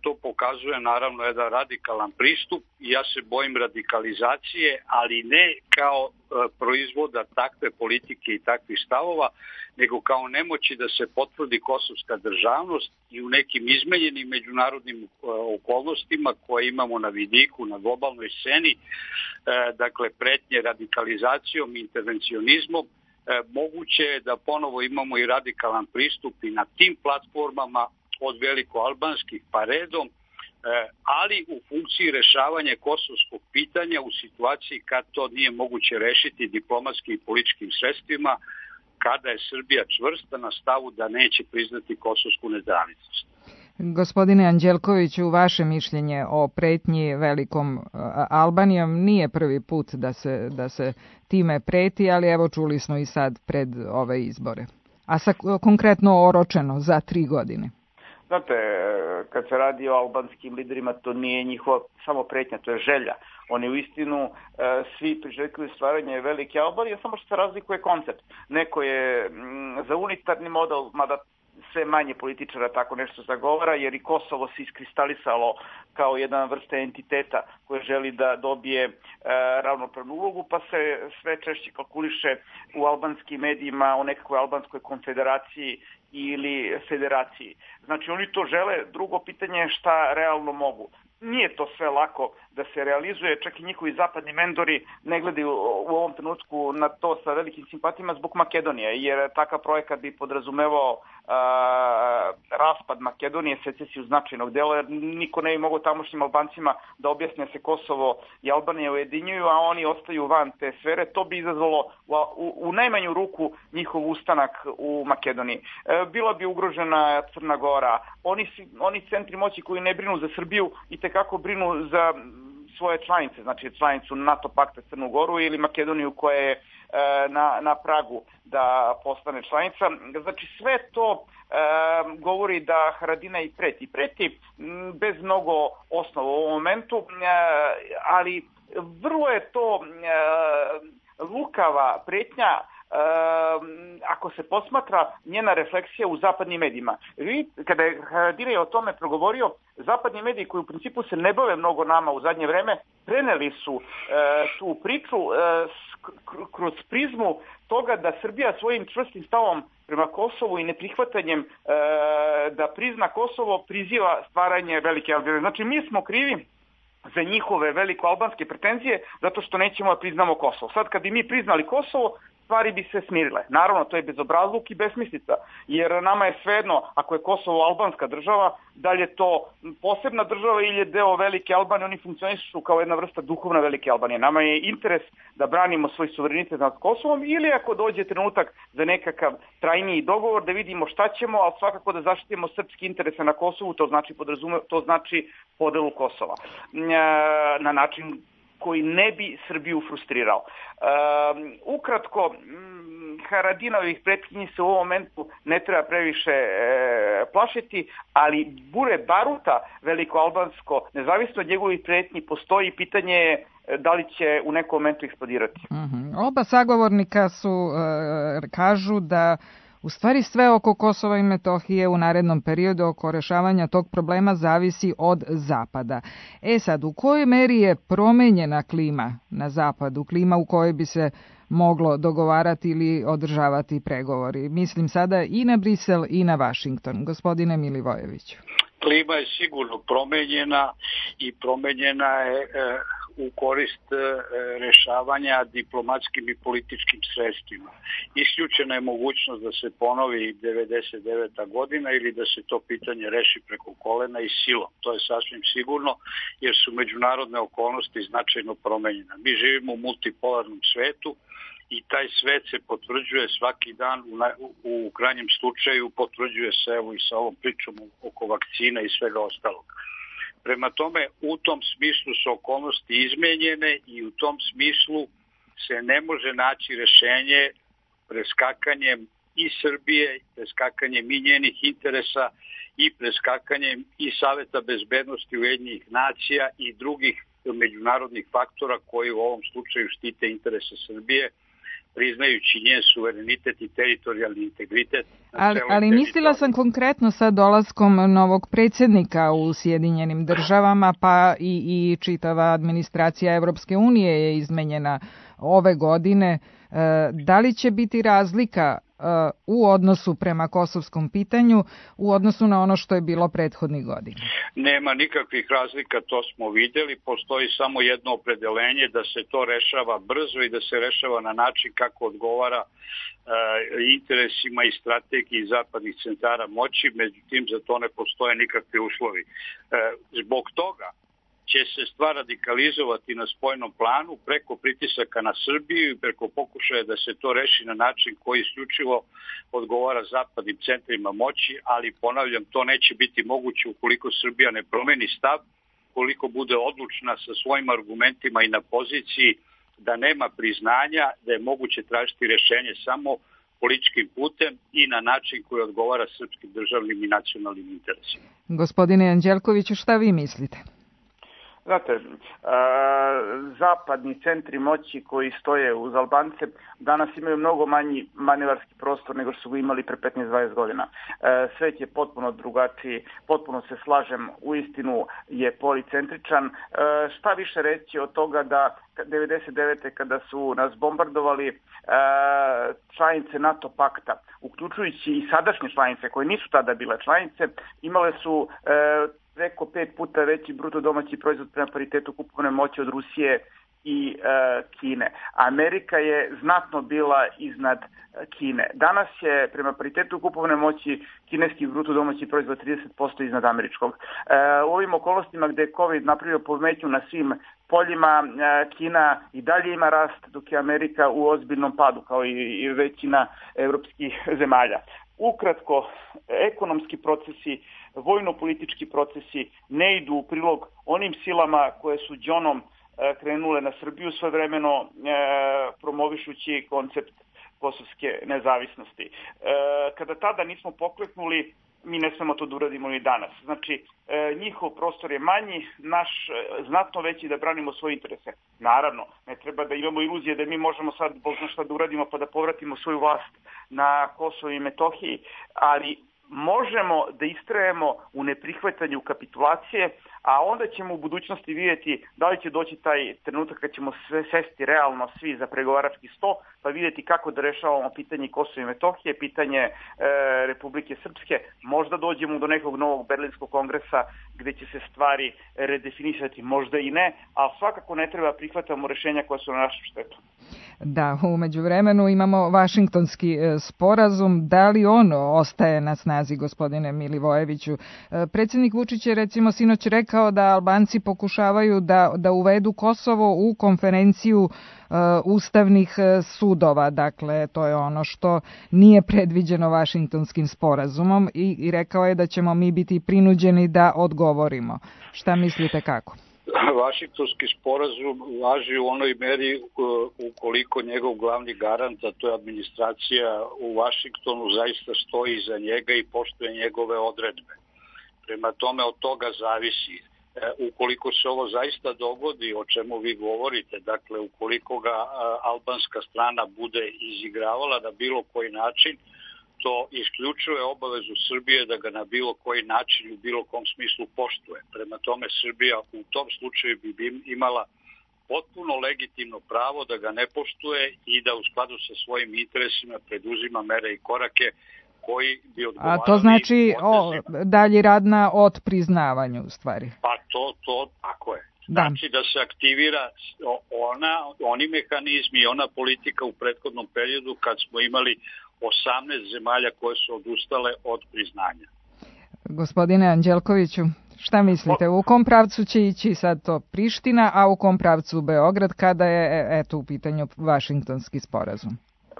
to pokazuje naravno jedan radikalan pristup i ja se bojim radikalizacije, ali ne kao proizvoda takve politike i takvih stavova, nego kao nemoći da se potvrdi kosovska državnost i u nekim izmenjenim međunarodnim okolnostima koje imamo na vidiku, na globalnoj sceni, dakle pretnje radikalizacijom i intervencionizmom, moguće je da ponovo imamo i radikalan pristup i na tim platformama od velikoalbanskih pa redom, ali u funkciji rešavanja kosovskog pitanja u situaciji kad to nije moguće rešiti diplomatskim i političkim sredstvima, kada je Srbija čvrsta na stavu da neće priznati kosovsku nezavisnost. Gospodine Anđelkoviću, vaše mišljenje o pretnji Velikom Albanijom nije prvi put da se time preti, ali evo čuli smo i sad pred ove izbore. A konkretno oročeno za 3 godine. Znate, kad se radi o albanskim liderima, to nije njihova samo pretnja, to je želja. Oni u istinu svi priželjkuju stvaranje velike Albanije, samo što se razlikuje koncept. Neko je za unitarni model, mada sve manje političara tako nešto zagovara, jer i Kosovo se iskristalisalo kao jedna vrsta entiteta koja želi da dobije ravnopravnu ulogu, pa se sve češće kalkuliše u albanskim medijima o nekakvoj albanskoj konfederaciji ili federaciji. Znači oni to žele, drugo pitanje je šta realno mogu. Nije to sve lako da se realizuje, čak i njihovi zapadni mentori ne gledaju u ovom trenutku na to sa velikim simpatijama zbog Makedonije, jer takav projekat bi podrazumevao raspad Makedonije, secesiju značajnog dela, jer niko ne bi mogao tamošnjim Albancima da objasne se Kosovo i Albanija ujedinjuju, a oni ostaju van te sfere. To bi izazvalo u najmanju ruku njihov ustanak u Makedoniji. Bila bi ugrožena Crna Gora. Oni centri moći koji ne brinu za Srbiju i tekako brinu za svoje članice, znači članicu NATO pakta Crnu Goru ili Makedoniju koja je na pragu da postane članica. Znači sve to govori da Haradinaj preti. Preti bez mnogo osnova u ovom momentu, ali vrlo je to lukava pretnja ako se posmatra njena refleksija u zapadnim medijima. Kada je Haradinaj o tome progovorio, zapadni mediji koji u principu se ne bave mnogo nama u zadnje vreme, preneli su tu priču kroz prizmu toga da Srbija svojim čvrstim stavom prema Kosovu i neprihvatanjem da prizna Kosovo priziva stvaranje velike Albanije. Znači mi smo krivi za njihove veliko-albanske pretenzije zato što nećemo da priznamo Kosovo. Sad kad bi mi priznali Kosovo, stvari bi se smirile. Naravno, to je bezobrazluk i besmislica, jer nama je svejedno, ako je Kosovo albanska država, da li je to posebna država ili je deo velike Albanije, oni funkcionišu kao jedna vrsta duhovna velike Albanije. Nama je interes da branimo svoj suverenitet nad Kosovom ili ako dođe trenutak za nekakav trajniji dogovor, da vidimo šta ćemo, ali svakako da zaštitimo srpski interese na Kosovu, to znači podelu Kosova. Na način koji ne bi Srbiju frustrirao. Ukratko, Haradinajevih pretnji se u ovom momentu ne treba previše plašiti, ali bure baruta veliko-albansko, nezavisno od njegovih pretnji, postoji pitanje je da li će u nekom momentu eksplodirati. Oba sagovornika kažu da u stvari sve oko Kosova i Metohije u narednom periodu oko rešavanja tog problema zavisi od Zapada. Sad, u kojoj meri je promenjena klima na Zapadu, klima u kojoj bi se moglo dogovarati ili održavati pregovori? Mislim sada i na Brisel i na Vašington. Gospodine Milivojeviću. Klima je sigurno promenjena i promenjena je u korist rešavanja diplomatskim i političkim sredstvima. Isključena je mogućnost da se ponovi 99. godina ili da se to pitanje reši preko kolena i silom. To je sasvim sigurno jer su međunarodne okolnosti značajno promenjene. Mi živimo u multipolarnom svetu i taj svet se potvrđuje svaki dan, u krajnjem slučaju potvrđuje se evo i sa ovom pričom oko vakcina i svega ostalog. Prema tome, u tom smislu su okolnosti izmenjene i u tom smislu se ne može naći rešenje preskakanjem i Srbije, preskakanjem i njenih interesa i preskakanjem i Saveta bezbednosti Ujedinjenih nacija i drugih međunarodnih faktora koji u ovom slučaju štite interese Srbije, priznajući njen suverenitet i teritorijalni integritet. Ali mislila sam konkretno sa dolaskom novog predsjednika u Sjedinjenim državama, pa i čitava administracija Evropske unije je izmenjena ove godine. Da li će biti razlika u odnosu prema kosovskom pitanju u odnosu na ono što je bilo prethodnih godina? Nema nikakvih razlika, to smo vidjeli. Postoji samo jedno opredelenje da se to rešava brzo i da se rešava na način kako odgovara interesima i strategiji zapadnih centara moći, međutim za to ne postoje nikakvi uslovi. Zbog toga će se stvar radikalizovati na spoljnom planu preko pritisaka na Srbiju i preko pokušaja da se to reši na način koji isključivo odgovara zapadnim centrima moći, ali ponavljam, to neće biti moguće ukoliko Srbija ne promeni stav, koliko bude odlučna sa svojim argumentima i na poziciji da nema priznanja, da je moguće tražiti rešenje samo političkim putem i na način koji odgovara srpskim državnim i nacionalnim interesima. Gospodine Anđelkoviću, šta vi mislite? Znate, zapadni centri moći koji stoje uz Albance danas imaju mnogo manji manevarski prostor nego što su imali pre 15-20 godina. Svet je potpuno drugačiji, potpuno se slažem, uistinu je policentričan. Šta više reći od toga da 99. kada su nas bombardovali članice NATO pakta, uključujući i sadašnje članice koje nisu tada bile članice, imale su preko 5 puta veći bruto domaći proizvod prema paritetu kupovne moći od Rusije i Kine. Amerika je znatno bila iznad Kine. Danas je prema paritetu kupovne moći kineski bruto domaći proizvod 30% iznad američkog. U ovim okolnostima gde je COVID napravio pometnju na svim poljima, Kina i dalje ima rast, dok je Amerika u ozbiljnom padu, kao i većina evropskih zemalja. Ukratko, ekonomski procesi, vojno-politički procesi ne idu u prilog onim silama koje su đonom krenule na Srbiju svojevremeno promovišući koncept kosovske nezavisnosti. Kada tada nismo pokleknuli, mi ne smemo to da uradimo ni danas. Znači, njihov prostor je manji, naš znatno veći da branimo svoje interese. Naravno, ne treba da imamo iluzije da mi možemo sad Bog zna šta da uradimo pa da povratimo svoju vlast na Kosovo i Metohiji, ali možemo da istrajemo u neprihvatanju kapitulacije, a onda ćemo u budućnosti vidjeti da li će doći taj trenutak kad ćemo sve sesti realno svi za pregovarački sto, pa vidjeti kako da rešavamo pitanje Kosova i Metohije, pitanje Republike Srpske. Možda dođemo do nekog novog Berlinskog kongresa gde će se stvari redefinisati, možda i ne, ali svakako ne treba prihvatamo rešenja koja su na našu štetu. Da, umeđu vremenu imamo Vašingtonski sporazum. Da li on ostaje na snazi, gospodine Milivojeviću? Predsjednik Vučić je recimo sinoć rekao da Albanci pokušavaju da uvedu Kosovo u konferenciju ustavnih sudova. Dakle, to je ono što nije predviđeno Vašingtonskim sporazumom i rekao je da ćemo mi biti prinuđeni da odgovorimo. Šta mislite kako? Vašingtonski sporazum važi u onoj meri ukoliko njegov glavni garant, a to je administracija u Vašingtonu, zaista stoji iza njega i poštuje njegove odredbe. Prema tome od toga zavisi. Ukoliko se ovo zaista dogodi, o čemu vi govorite, dakle ukoliko ga albanska strana bude izigravala na bilo koji način, to isključuje obavezu Srbije da ga na bilo koji način u bilo kom smislu poštuje. Prema tome Srbija u tom slučaju bi imala potpuno legitimno pravo da ga ne poštuje i da u skladu sa svojim interesima preduzima mere i korake koji bi odgovarali. A to znači dalji rad na otpriznavanju u stvari? Pa to tako je. Znači da se aktivira oni mehanizmi i ona politika u prethodnom periodu kad smo imali 18 zemalja koje su odustale od priznanja. Gospodine Anđelkoviću, šta mislite? U kom pravcu će ići sad to Priština, a u kom pravcu Beograd kada je u pitanju Vašingtonski sporazum?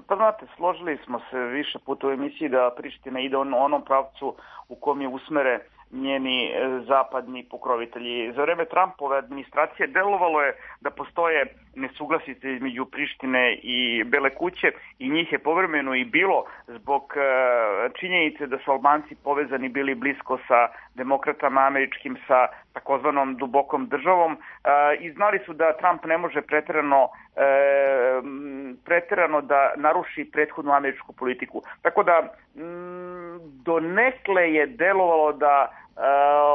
Pa znate, složili smo se više puta u emisiji da Priština ide u onom pravcu u kom je usmere njeni zapadni pokrovitelji. Za vreme Trumpove administracije delovalo je da postoje nesuglasice između Prištine i Bele kuće i njih je povremeno i bilo zbog činjenice da su Albanci povezani bili blisko sa demokratama američkim, sa takozvanom dubokom državom i znali su da Trump ne može preterano da naruši prethodnu američku politiku. Tako da donekle je delovalo da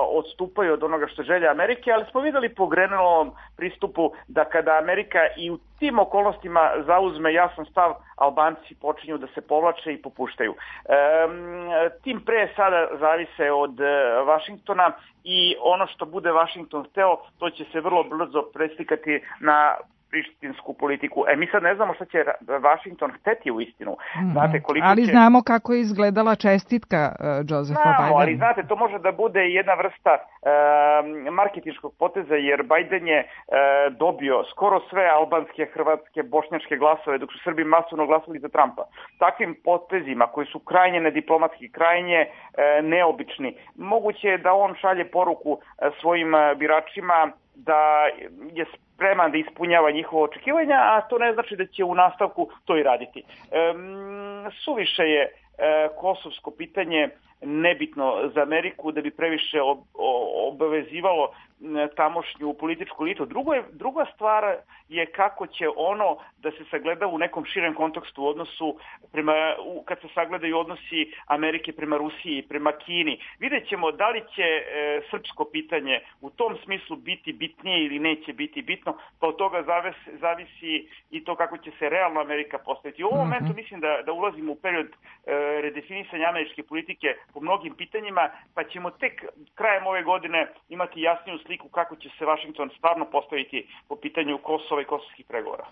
odstupaju od onoga što želja Amerike, ali smo videli po Grenelovom pristupu da kada Amerika i u tim okolnostima zauzme jasan stav, Albanci počinju da se povlače i popuštaju. Tim pre sada zavise od Vašingtona i ono što bude Vašington hteo, to će se vrlo brzo preslikati na prištinsku politiku. Mi sad ne znamo šta će Vašington hteti u istinu. Znate, ali znamo kako je izgledala čestitka Josepha Bidena. Ali znate, to može da bude jedna vrsta marketinškog poteza, jer Biden je dobio skoro sve albanske, hrvatske, bošnjačke glasove, dok su Srbi masovno glasali za Trumpa. Takvim potezima koji su krajnje nediplomatski, krajnje neobični, moguće je da on šalje poruku svojim biračima da je spreman da ispunjava njihova očekivanja, a to ne znači da će u nastavku to i raditi. Suviše je kosovsko pitanje nebitno za Ameriku da bi previše obavezivalo tamošnju političku elitu. Druga stvar je kako će ono da se sagleda u nekom širem kontekstu u odnosu kad se sagledaju odnosi Amerike prema Rusiji i prema Kini. Vidjet ćemo da li će srpsko pitanje u tom smislu biti bitnije ili neće biti bitno, pa od toga zavisi i to kako će se realno Amerika postaviti. U ovom momentu mislim da ulazimo u period redefinisanja američke politike po mnogim pitanjima, pa ćemo tek krajem ove godine imati jasniju sliku kako će se Vašington stvarno postaviti po pitanju Kosova i kosovskih pregovora.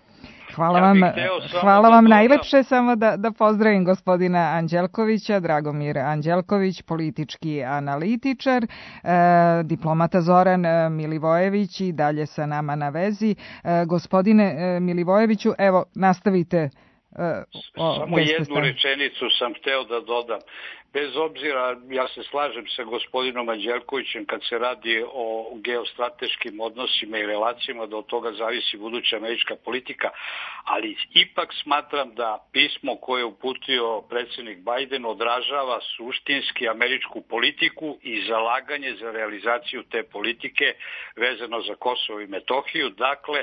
Hvala vam najlepše, samo da pozdravim gospodina Anđelkovića, Dragomir Anđelković, politički analitičar, diplomata Zoran Milivojević i dalje sa nama na vezi. Gospodine Milivojeviću, evo, nastavite. Samo jednu rečenicu sam hteo da dodam. Bez obzira, ja se slažem sa gospodinom Anđelkovićem kad se radi o geostrateškim odnosima i relacijama, da od toga zavisi buduća američka politika, ali ipak smatram da pismo koje je uputio predsjednik Biden odražava suštinski američku politiku i zalaganje za realizaciju te politike vezano za Kosovo i Metohiju. Dakle,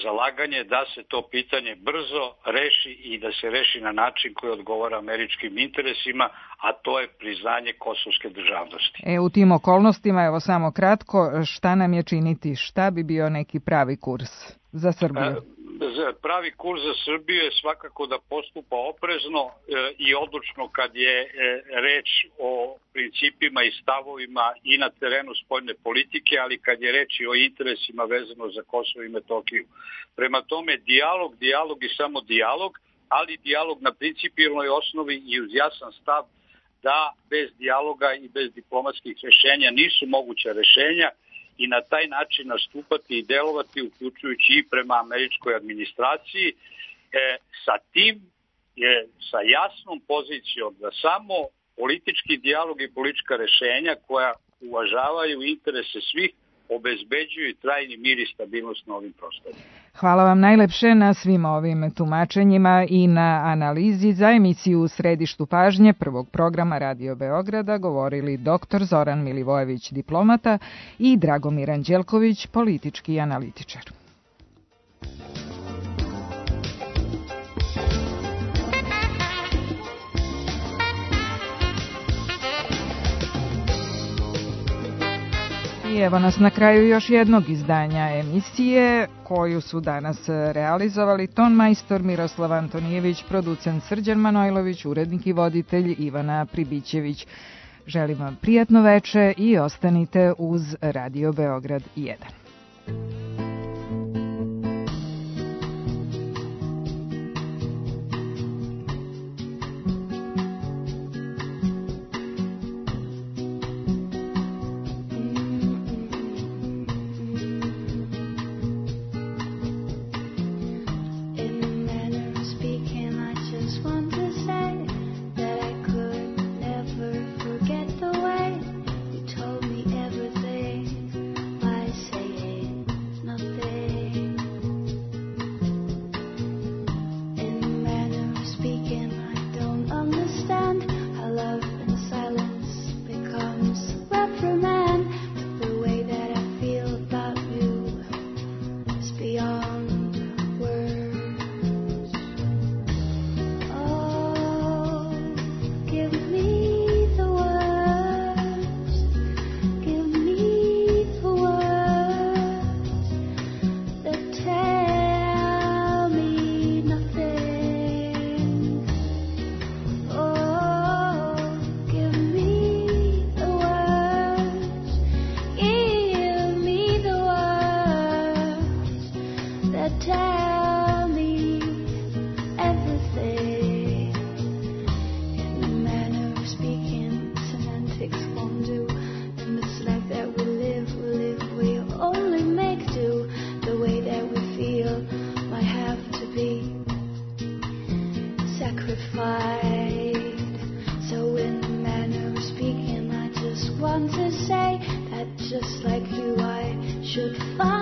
zalaganje da se to pitanje brzo reši i da se reši na način koji odgovara američkim interesima, a to je priznanje kosovske državnosti. U tim okolnostima, evo samo kratko, šta nam je činiti? Šta bi bio neki pravi kurs za Srbiju? Pravi kurs za Srbiju je svakako da postupa oprezno i odlučno kad je reč o principima i stavovima i na terenu spoljne politike, ali kad je reč i o interesima vezano za Kosovo i Metohiju. Prema tome, dijalog i samo dijalog, ali dijalog na principijelnoj osnovi i uz jasan stav da bez dijaloga i bez diplomatskih rješenja nisu moguća rješenja i na taj način nastupati i delovati, uključujući i prema američkoj administraciji, sa jasnom pozicijom da samo politički dijalog i politička rješenja koja uvažavaju interese svih obezbeđuju trajni mir i stabilnost na ovim prostorima. Hvala vam najlepše na svim ovim tumačenjima i na analizi. Za emisiju u središtu pažnje prvog programa Radio Beograda govorili dr. Zoran Milivojević, diplomata, i Dragomir Anđelković, politički analitičar. I evo nas na kraju još jednog izdanja emisije koju su danas realizovali ton majstor Miroslav Antonijević, producent Srđan Manojlović, urednik i voditelj Ivana Pribićević. Želim vam prijatno veče i ostanite uz Radio Beograd 1. Want to say that just like you I should find